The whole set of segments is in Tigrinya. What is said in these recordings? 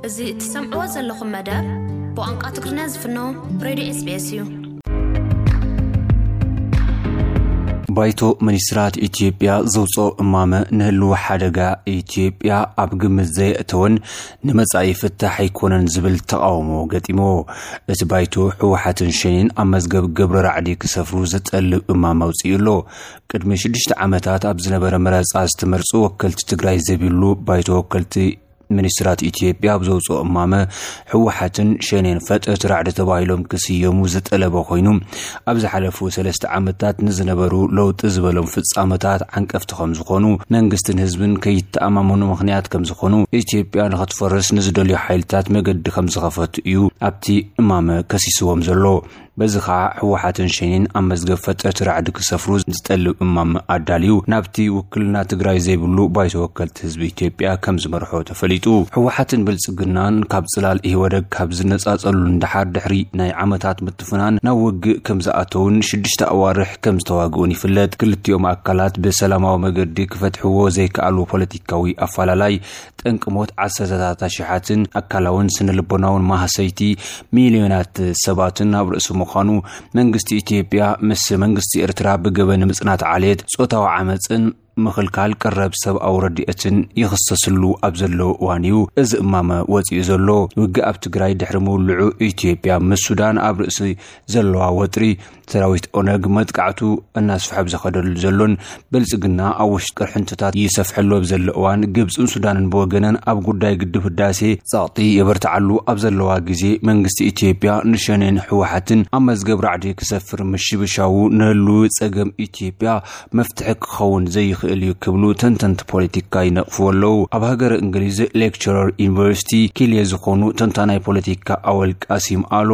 እዚ እትሰምዕዎ ዘለኹም መደብ ብቋንቋ ትግርኛ ዝፍኖ ሬድዮ ኤስቢኤስ እዩ። ባይቶ ሚኒስትራት ኢትዮጵያ ዘውፅኦ እማመ ንህልው ሓደጋ ኢትዮጵያ ኣብ ግምት ዘየእተወን ንመጻኢ ፍታሕ ኣይኮነን ዝብል ተቓውሞ ገጢምዎ። እቲ ባይቶ ህወሓትን ሸኔን ኣብ መዝገብ ግብረ ራዕዲ ክሰፍሩ ዝጠልብ እማመ ኣውፂኡ ኣሎ። ቅድሚ ሽዱሽተ ዓመታት ኣብ ዝነበረ መረፃ ዝተመርፁ ወከልቲ ትግራይ ዘቢሉ ባይቶ ወከልቲ ሚኒስትራት ኢትዮጵያ ኣብ ዘውፅኦ እማመ ህወሓትን ሸኔን ፈጠርቲ ራዕዲ ተባሂሎም ክስየሙ ዝጠለበ ኮይኑ፣ ኣብ ዝሓለፉ ሰለስተ ዓመታት ንዝነበሩ ለውጢ ዝበሎም ፍጻመታት ዓንቀፍቲ ከም ዝኾኑ፣ መንግስትን ህዝብን ከይተኣማመኑ ምኽንያት ከም ዝኾኑ፣ ኢትዮጵያ ንኽትፈርስ ንዝደልዩ ሓይልታት መገዲ ከም ዝኸፈቱ እዩ ኣብቲ እማመ ከሲስዎም ዘሎ። በዚ ኸዓ ህወሓትን ሸኔን ኣብ መዝገብ ፈጠርቲ ራዕዲ ክሰፍሩ ዝጠልብ እማመ ኣዳልዩ ናብቲ ውክልና ትግራይ ዘይብሉ ባይቶ ወከልቲ ህዝቢ ኢትዮጵያ ከም ዝመርሖ ተፈሊጡ። ህወሓትን ብልጽግናን ካብ ጽላል ኢህወደግ ካብ ዝነጻጸሉ ንደሓር ድሕሪ ናይ ዓመታት ምትፍናን ናብ ውግእ ከም ዝኣተውን ሽዱሽተ ኣዋርሕ ከም ዝተዋግኡን ይፍለጥ። ክልቲኦም ኣካላት ብሰላማዊ መገዲ ክፈትሕዎ ዘይከኣሉ ፖለቲካዊ ኣፈላላይ ጠንቂ ሞት ዓሰርተታት ኣሽሓትን ኣካላውን ስነ ልቦናውን ማህሰይቲ ሚልዮናት ሰባትን ኣብ ርእሲ ምዃኑ፣ መንግስቲ ኢትዮጵያ ምስ መንግስቲ ኤርትራ ብገበን ምጽናት ዓሌት፣ ጾታዊ ዓመጽን ምኽልካል ቀረብ ሰብኣዊ ረድኤትን ይኽሰስሉ ኣብ ዘለዎ እዋን እዩ እዚ እማመ ወጺኡ ዘሎ። ውግእ ኣብ ትግራይ ድሕሪ ምውልዑ፣ ኢትዮጵያ ምስ ሱዳን ኣብ ርእሲ ዘለዋ ወጥሪ፣ ሰራዊት ኦነግ መጥቃዕቱ እናስፍሐ ብዝኸደሉ ዘሎን ብልጽግና ኣብ ውሽጢ ቅርሕንትታት ይሰፍሐሉ ኣብ ዘሎ እዋን፣ ግብጽን ሱዳንን ብወገነን ኣብ ጉዳይ ግድብ ህዳሴ ጸቕጢ የበርትዓሉ ኣብ ዘለዋ ግዜ፣ መንግስቲ ኢትዮጵያ ንሸኔን ህወሓትን ኣብ መዝገብ ራዕዲ ክሰፍር ምሽብሻዉ ንህልዊ ጸገም ኢትዮጵያ መፍትሒ ክኸውን ዘይኽእል እዩ ክብሉ ተንተንቲ ፖለቲካ ይነቕፍዎ ኣለዉ። ኣብ ሃገረ እንግሊዝ ሌክቸረር ዩኒቨርሲቲ ኪልየ ዝኾኑ ተንታናይ ፖለቲካ ኣወል ቃሲም ኣሎ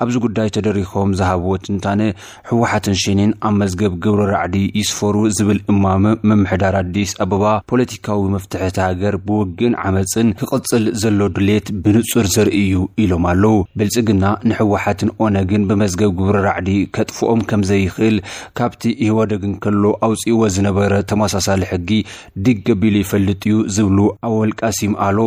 ኣብዚ ጉዳይ ተደሪኾም ዝሃብዎ ትንታነ፣ ህወሓትን ሸኔን ኣብ መዝገብ ግብረ ራዕዲ ይስፈሩ ዝብል እማመ ምምሕዳር ኣዲስ ኣበባ ፖለቲካዊ መፍትሒ እታ ሃገር ብውግእን ዓመፅን ክቕፅል ዘሎ ድሌት ብንፁር ዘርኢ እዩ ኢሎም ኣለዉ። ብልፅግና ንህወሓትን ኦነግን ብመዝገብ ግብረ ራዕዲ ከጥፍኦም ከም ዘይኽእል ካብቲ ኢህወደግ እንከሎ ኣውፂእዎ ዝነበረ ተመሳሳሊ ሕጊ ድግ ኣቢሉ ይፈልጥ እዩ ዝብሉ ኣወል ቃሲም ኣሎ፣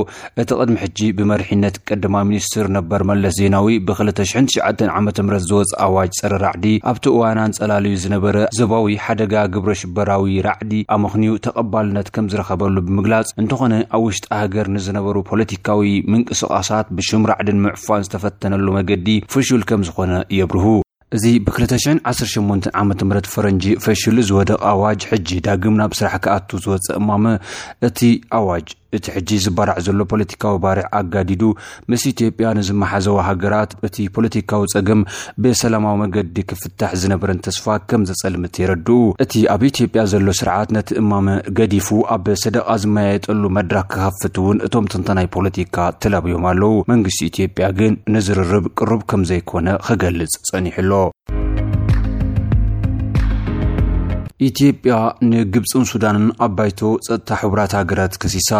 እቲ ቅድሚ ሕጂ ብመሪሕነት ቀዳማይ ሚኒስትር ነበር መለስ ዜናዊ ብ ክልተ ሽሕን ትሽዓተን ዓመተ ምህረት ዝወፀ ኣዋጅ ፀረ ራዕዲ ኣብቲ እዋን ኣንፀላልዩ ዝነበረ ዞባዊ ሓደጋ ግብረ ሽበራዊ ራዕዲ ኣመኽንዩ ተቐባልነት ከም ዝረኸበሉ ብምግላፅ፣ እንተኾነ ኣብ ውሽጢ ሃገር ንዝነበሩ ፖለቲካዊ ምንቅስቓሳት ብሽም ራዕዲ ንምዕፋን ዝተፈተነሉ መገዲ ፍሹል ከም ዝኾነ የብርሁ። እዚ ብ ክልተ ሽሕን ዓሰርተ ሸሞንተን ዓመተ ምህረት ፈረንጂ ፈሽሉ ዝወደቐ ኣዋጅ፣ ሕጂ ዳግም ናብ ስራሕ ክኣቱ ዝወጸ እማመ፣ እቲ ኣዋጅ፣ እቲ ሕጂ ዝባራዕ ዘሎ ፖለቲካዊ ባርዕ ኣጋዲዱ፣ ምስ ኢትዮጵያ ንዝመሓዘዋ ሃገራት እቲ ፖለቲካዊ ጸገም ብሰላማዊ መገዲ ክፍታሕ ዝነበረን ተስፋ ከም ዘጸልምት የረድኡ። እቲ ኣብ ኢትዮጵያ ዘሎ ስርዓት ነቲ እማመ ገዲፉ፣ ኣብ ሰደቓ ዝመያየጠሉ መድረኽ ክኸፍት እውን እቶም ተንታናይ ፖለቲካ ተላብዮም ኣለዉ። መንግስቲ ኢትዮጵያ ግን ንዝርርብ ቅሩብ ከም ዘይኮነ ክገልጽ ጸኒሑ ኣሎ። ኢትዮጵያ ንግብጽን ሱዳንን ኣብ ባይቶ ጸጥታ ሕቡራት ሃገራት ከሲሳ።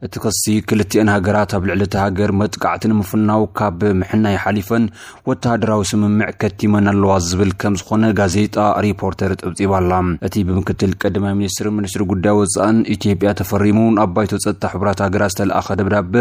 እቲ ክሲ፣ ክልቲአን ሃገራት ኣብ ልዕሊ እታ ሃገር መጥቃዕቲ ንምፍናው ካብ ምሕናይ ሓሊፈን ወተሃደራዊ ስምምዕ ከቲመን ኣለዋ ዝብል ከም ዝኾነ ጋዜጣ ሪፖርተር ጸብጺባ ኣላ። እቲ ብምክትል ቀዳማይ ሚኒስትርን ሚኒስትሪ ጉዳይ ወጻእን ኢትዮጵያ ተፈሪሙ ናብ ባይቶ ጸጥታ ሕቡራት ሃገራት ዝተለኣኸ ደብዳበ፣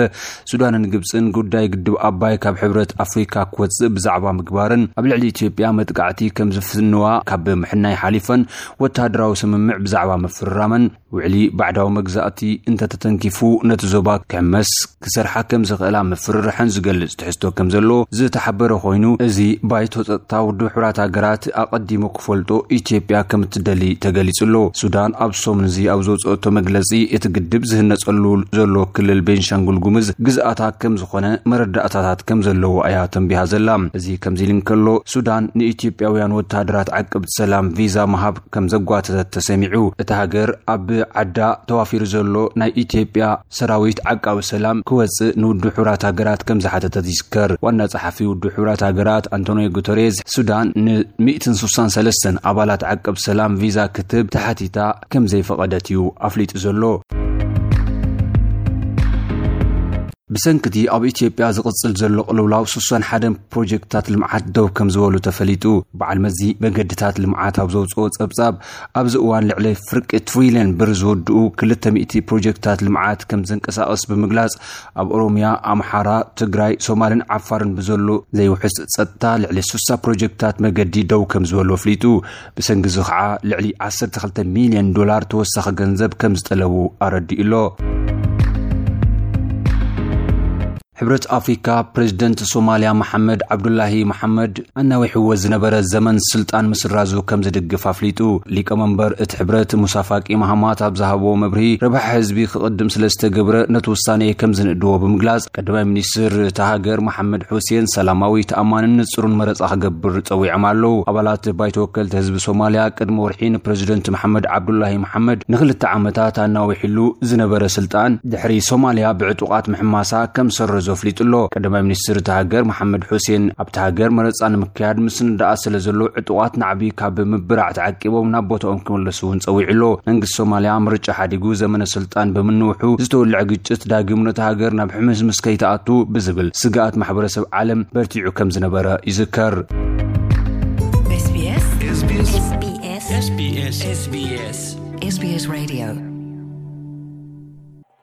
ሱዳንን ግብጽን ጉዳይ ግድብ ኣባይ ካብ ሕብረት ኣፍሪካ ክወጽእ ብዛዕባ ምግባርን ኣብ ልዕሊ ኢትዮጵያ መጥቃዕቲ ከም ዝፍንዋ ካብ ምሕናይ ሓሊፈን ወተሃደራዊ ስምምዕ ብዛዕባ ምፍርራመን፣ ውዕሊ ባዕዳዊ መግዛእቲ እንተተተንኪፉ ነቲ ዞባ ክሕመስ ክሰርሓ ከም ዝኽእላ ምፍርርሐን ዝገልጽ ትሕዝቶ ከም ዘሎ ዝተሓበረ ኮይኑ፣ እዚ ባይቶ ጸጥታ ውድብ ሕቡራት ሃገራት ኣቐዲሙ ክፈልጦ ኢትዮጵያ ከም እትደሊ ተገሊጹ ኣሎ። ሱዳን ኣብ ሰሙን እዚ ኣብ ዘውጽኦቶ መግለጺ፣ እቲ ግድብ ዝህነጸሉ ዘሎ ክልል ቤንሻንጉል ጉምዝ ግዝኣታ ከም ዝኾነ መረዳእታታት ከም ዘለዎ እያ ተንቢሃ ዘላ። እዚ ከምዚ ኢሉ እንከሎ፣ ሱዳን ንኢትዮጵያውያን ወተሃደራት ዓቀብቲ ሰላም ቪዛ ምሃብ ከም ዘጓተተት ተሰሚዑ። እታ ሃገር ኣብ ዓዳ ተዋፊሩ ዘሎ ናይ ኢትዮጵያ ሰራዊት ዓቃቢ ሰላም ክወጽእ ንውድብ ሕቡራት ሃገራት ከም ዝሓተተት ይዝከር። ዋና ጸሓፊ ውድብ ሕቡራት ሃገራት ኣንቶኒዮ ጉተሬዝ፣ ሱዳን ን ሚእትን ስሳን ሰለስተን ኣባላት ዓቀብ ሰላም ቪዛ ክትህብ ተሓቲታ ከም ዘይፈቐደት እዩ ኣፍሊጡ ዘሎ። ብሰንክቲ ኣብ ኢትዮጵያ ዝቕጽል ዘሎ ቅልውላው ስሳን ሓደን ፕሮጀክትታት ልምዓት ደው ከም ዝበሉ ተፈሊጡ። በዓል መዚ መገድታት ልምዓት ኣብ ዘውፅኦ ጸብጻብ፣ ኣብዚ እዋን ልዕሊ ፍርቂ ትሪልዮን ብር ዝውድኡ ክልተ ሚእቲ ፕሮጀክትታት ልምዓት ከም ዘንቀሳቐስ ብምግላጽ፣ ኣብ ኦሮሚያ፣ ኣምሓራ፣ ትግራይ፣ ሶማልን ዓፋርን ብዘሎ ዘይውሕስ ጸጥታ ልዕሊ ስሳ ፕሮጀክትታት መገዲ ደው ከም ዝበሉ ኣፍሊጡ። ብሰንኪ እዚ ከዓ ልዕሊ ዓሰርተ ክልተ ሚልዮን ዶላር ተወሳኺ ገንዘብ ከም ዝጠለቡ ኣረዲኡ ኣሎ። ሕብረት ኣፍሪካ ፕሬዝደንት ሶማልያ መሓመድ ዓብዱላሂ መሓመድ ኣናዊሕዎ ዝነበረ ዘመን ስልጣን ምስራዙ ከም ዝድግፍ ኣፍሊጡ። ሊቀመንበር እቲ ሕብረት ሙሳ ፋቂ ማሃማት ኣብ ዝሃቦ መብርሂ፣ ረብሓ ህዝቢ ክቕድም ስለ ዝተገብረ ነቲ ውሳኔ ከም ዝንእድዎ ብምግላጽ፣ ቀዳማይ ሚኒስትር እታ ሃገር መሓመድ ሑሴን ሰላማዊ፣ ተኣማንን ንጹርን መረጻ ክገብር ጸዊዖም ኣለዉ። ኣባላት ባይቶ ወከልቲ ህዝቢ ሶማልያ ቅድሚ ወርሒ ንፕሬዝደንት መሓመድ ዓብዱላሂ መሓመድ ንክልተ ዓመታት ኣናዊሕሉ ዝነበረ ስልጣን ድሕሪ ሶማልያ ብዕጡቓት ምሕማሳ ከም ሰረዞ ኣፍሊጡ ኣሎ። ቀዳማይ ሚኒስትር እታ ሃገር መሓመድ ሑሴን ኣብታ ሃገር መረጻ ንምክያድ ምስንዳኣ ስለ ዘሎ ዕጡቓት ናዕቢ ካብ ምብራዕ ተዓቂቦም ናብ ቦታኦም ክምለሱ እውን ጸዊዑ ኣሎ። መንግስቲ ሶማልያ ምርጫ ሓዲጉ ዘመነ ስልጣን ብምንውሑ ዝተወልዐ ግጭት ዳግም ነታ ሃገር ናብ ሕምስምስ ከይትኣቱ ብዝብል ስግኣት ማሕበረሰብ ዓለም በርቲዑ ከም ዝነበረ ይዝከር። S B S. S B S. S B S. S B S. S B S. S B S Radio.